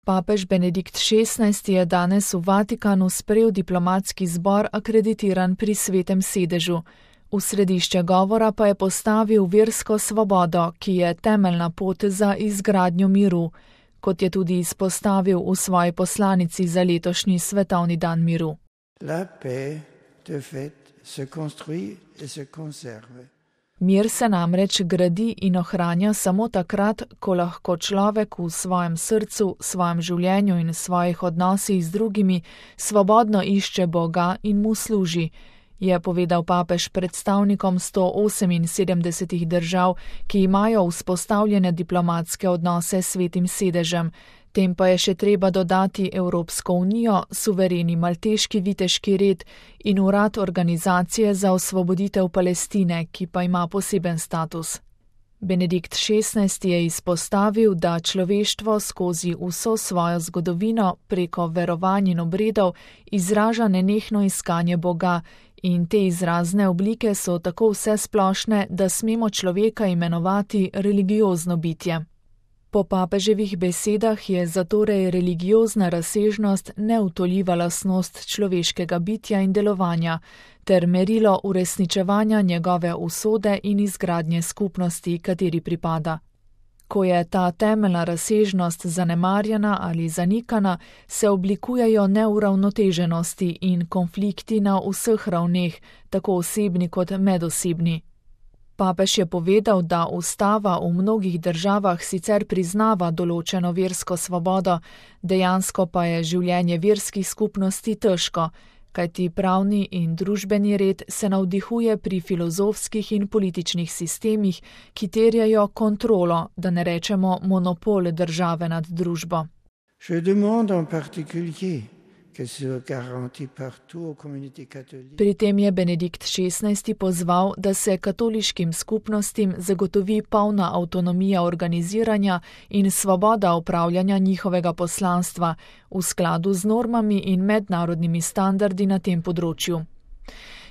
Papež Benedikt XVI je danes v Vatikanu sprejel diplomatski zbor akreditiran pri Svetem sedežu. V središče govora pa je postavil versko svobodo, ki je temeljna pot za izgradnjo miru, kot je tudi izpostavil v svoji poslanici za letošnji svetovni dan miru. La paix, de fait, se construit et se conserve. Mir se namreč gradi in ohranja samo takrat, ko lahko človek v svojem srcu, svojem življenju in svojih odnosih z drugimi svobodno išče Boga in mu služi, je povedal papež predstavnikom 178 držav, ki imajo vzpostavljene diplomatske odnose s Svetim sedežem. Tem pa je še treba dodati Evropsko unijo, suvereni malteški viteški red in urad Organizacije za osvoboditev Palestine, ki pa ima poseben status. Benedikt XVI je izpostavil, da človeštvo skozi vso svojo zgodovino preko verovanj in obredov izraža nenehno iskanje Boga in te izrazne oblike so tako vsesplošne, da smemo človeka imenovati religiozno bitje. Po papeževih besedah je zatorej religiozna razsežnost neutoljiva lastnost človeškega bitja in delovanja ter merilo uresničevanja njegove usode in izgradnje skupnosti, kateri pripada. Ko je ta temeljna razsežnost zanemarjena ali zanikana, se oblikujejo neuravnoteženosti in konflikti na vseh ravneh, tako osebni kot medosebni. Papež je povedal, da ustava v mnogih državah sicer priznava določeno versko svobodo, dejansko pa je življenje verskih skupnosti težko, kajti pravni in družbeni red se navdihuje pri filozofskih in političnih sistemih, ki terjajo kontrolo, da ne rečemo monopol države nad družbo. Je demande en particulier que se garantit partout aux communautés catholiques. Pri tem je Benedikt XVI pozval, da se katoliškim skupnostim zagotovi polna avtonomija organiziranja in svoboda upravljanja njihovega poslanstva v skladu z normami in mednarodnimi standardi na tem področju.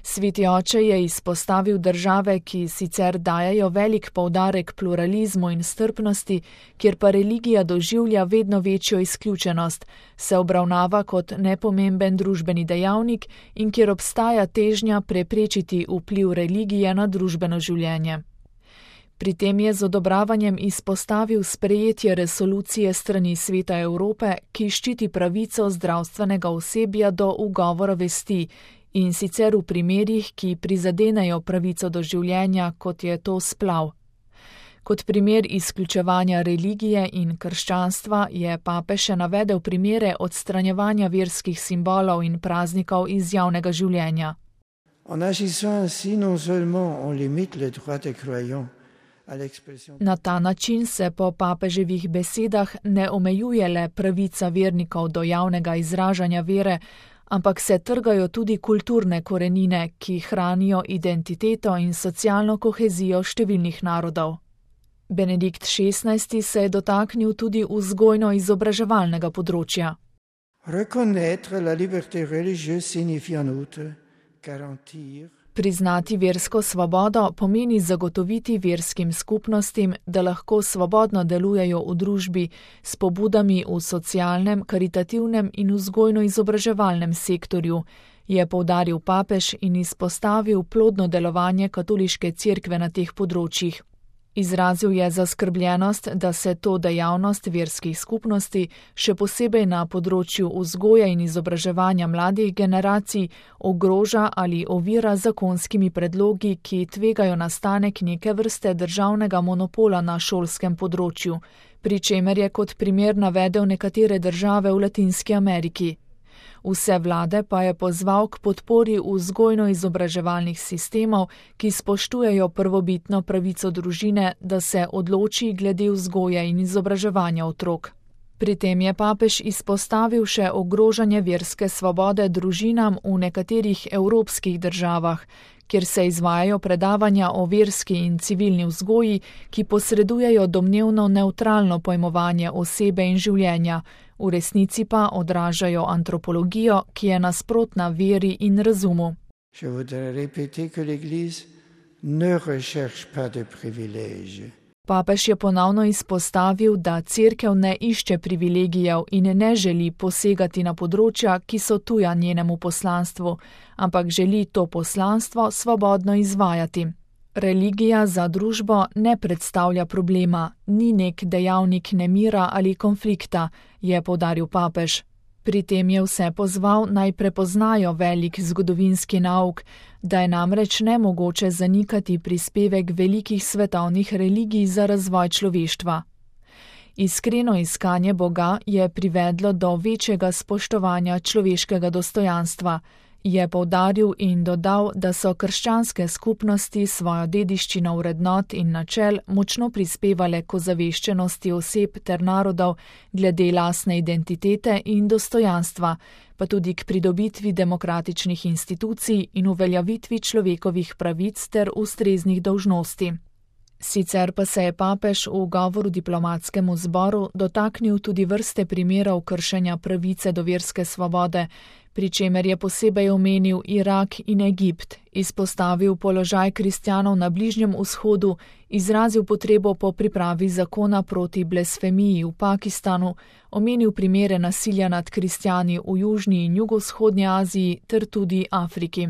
Sveti oče je izpostavil države, ki sicer dajajo velik poudarek pluralizmu in strpnosti, kjer pa religija doživlja vedno večjo izključenost, se obravnava kot nepomemben družbeni dejavnik in kjer obstaja težnja preprečiti vpliv religije na družbeno življenje. Pri tem je z odobravanjem izpostavil sprejetje resolucije strani Sveta Evrope, ki ščiti pravico zdravstvenega osebja do ugovora vesti, in sicer v primerih, ki prizadenejo pravico do življenja, kot je to splav. Kot primer izključevanja religije in krščanstva je papež še navedel primere odstranjevanja verskih simbolov in praznikov iz javnega življenja. En agissant ainsi, non seulement on limite le droit des croyants à l'expression. Na ta način se po papeževih besedah ne omejuje le pravica vernikov do javnega izražanja vere, ampak se trgajo tudi kulturne korenine, ki hranijo identiteto in socialno kohezijo številnih narodov. Benedikt XVI se je dotaknil tudi vzgojno-izobraževalnega področja. Reconnaître la liberté religieuse signifie en outre garantir. Priznati versko svobodo pomeni zagotoviti verskim skupnostim, da lahko svobodno delujejo v družbi s pobudami v socialnem, karitativnem in vzgojno-izobraževalnem sektorju, je poudaril papež in izpostavil plodno delovanje katoliške cerkve na teh področjih. Izrazil je zaskrbljenost, da se to dejavnost verskih skupnosti, še posebej na področju vzgoje in izobraževanja mladih generacij, ogroža ali ovira z zakonskimi predlogi, ki tvegajo nastanek neke vrste državnega monopola na šolskem področju, pri čemer je kot primer navedel nekatere države v Latinski Ameriki. Vse vlade pa je pozval k podpori vzgojno-izobraževalnih sistemov, ki spoštujejo prvobitno pravico družine, da se odloči glede vzgoje in izobraževanja otrok. Pri tem je papež izpostavil še ogrožanje verske svobode družinam v nekaterih evropskih državah, kjer se izvajajo predavanja o verski in civilni vzgoji, ki posredujejo domnevno nevtralno pojmovanje osebe in življenja, v resnici pa odražajo antropologijo, ki je nasprotna veri in razumu. Je voudrais répéter que l'Église ne recherche pas de privilèges. Papež je ponovno izpostavil, da cerkev ne išče privilegijev in ne želi posegati na področja, ki so tuja njenemu poslanstvu, ampak želi to poslanstvo svobodno izvajati. Religija za družbo ne predstavlja problema, ni nek dejavnik nemira ali konflikta, je poudaril papež. Pri tem je vse pozval, naj prepoznajo velik zgodovinski nauk, da je namreč nemogoče zanikati prispevek velikih svetovnih religij za razvoj človeštva. Iskreno iskanje Boga je privedlo do večjega spoštovanja človeškega dostojanstva, je poudaril in dodal, da so krščanske skupnosti svojo dediščino vrednot in načel močno prispevale k ozaveščenosti oseb ter narodov glede lastne identitete in dostojanstva, pa tudi k pridobitvi demokratičnih institucij in uveljavitvi človekovih pravic ter ustreznih dolžnosti. Sicer pa se je papež v govoru diplomatskemu zboru dotaknil tudi vrste primerov kršenja pravice do verske svobode, pri čemer je posebej omenil Irak in Egipt, izpostavil položaj kristjanov na Bližnjem vzhodu, izrazil potrebo po pripravi zakona proti blasfemiji v Pakistanu, omenil primere nasilja nad kristjani v Južni in Jugovzhodnji Aziji ter tudi Afriki.